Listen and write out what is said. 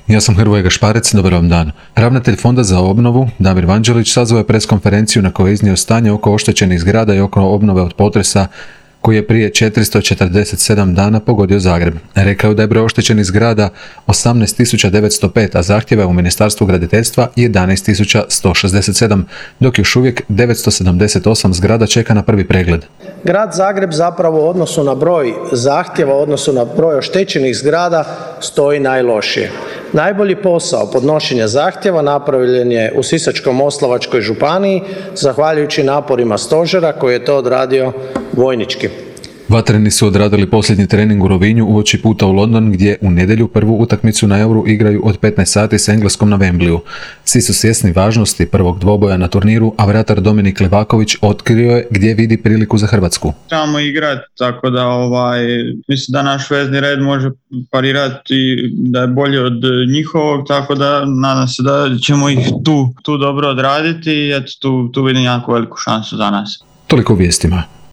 Ja sam Hrvoje Gašparec, dobar vam dan. Ravnatelj Fonda za obnovu, Damir Vanđelić, sazvao je preskonferenciju na kojoj je iznio stanje oko oštećenih zgrada i oko obnove od potresa koji je prije 447 dana pogodio Zagreb. Rekao da je broj oštećenih zgrada 18.905, a zahtjeva je u Ministarstvu graditeljstva 11.167, dok još uvijek 978 zgrada čeka na prvi pregled. Grad Zagreb zapravo u odnosu na broj zahtjeva, u odnosu na broj oštećenih zgrada stoji najlošije. Najbolji posao podnošenja zahtjeva napravljen je u Sisačko-moslavačkoj županiji, zahvaljujući naporima stožera koji je to odradio vojnički. Vatreni su odradili posljednji trening u Rovinju uoči puta u London, gdje u nedjelju prvu utakmicu na Euru igraju od 15 sati s Engleskom na Wembleyu. Svi su svjesni važnosti prvog dvoboja na turniru, a vratar Dominik Levaković otkrio je gdje vidi priliku za Hrvatsku. Trebamo igrati, tako da mislim da naš vezni red može parirati, da je bolji od njihovog, tako da nadam se da ćemo ih tu dobro odraditi i tu vidim jako veliku šansu za nas. Toliko u vijestima.